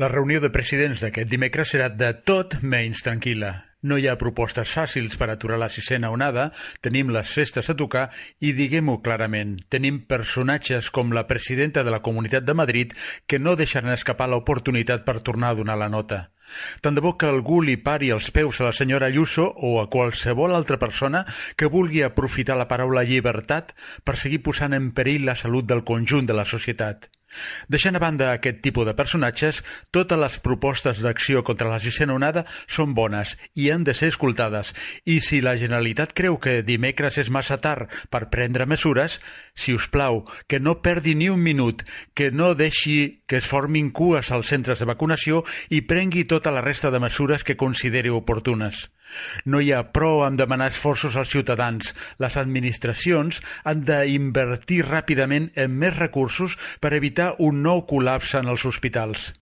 La reunió de presidents d'aquest dimecres serà de tot menys tranquil·la. No hi ha propostes fàcils per aturar la sisena onada, tenim les festes a tocar i, diguem-ho clarament, tenim personatges com la presidenta de la Comunitat de Madrid que no deixaran escapar l'oportunitat per tornar a donar la nota. Tant de bo que algú li pari els peus a la senyora Ayuso o a qualsevol altra persona que vulgui aprofitar la paraula llibertat per seguir posant en perill la salut del conjunt de la societat. Deixant a banda aquest tipus de personatges, totes les propostes d'acció contra la sisena onada són bones i han de ser escoltades, i si la Generalitat creu que dimecres és massa tard per prendre mesures, si us plau, que no perdi ni un minut, que no deixi que es formin cues als centres de vacunació i prengui tota la resta de mesures que consideri oportunes. No hi ha prou en demanar esforços als ciutadans. Les administracions han d'invertir ràpidament en més recursos per evitar un nou col·lapse en els hospitals.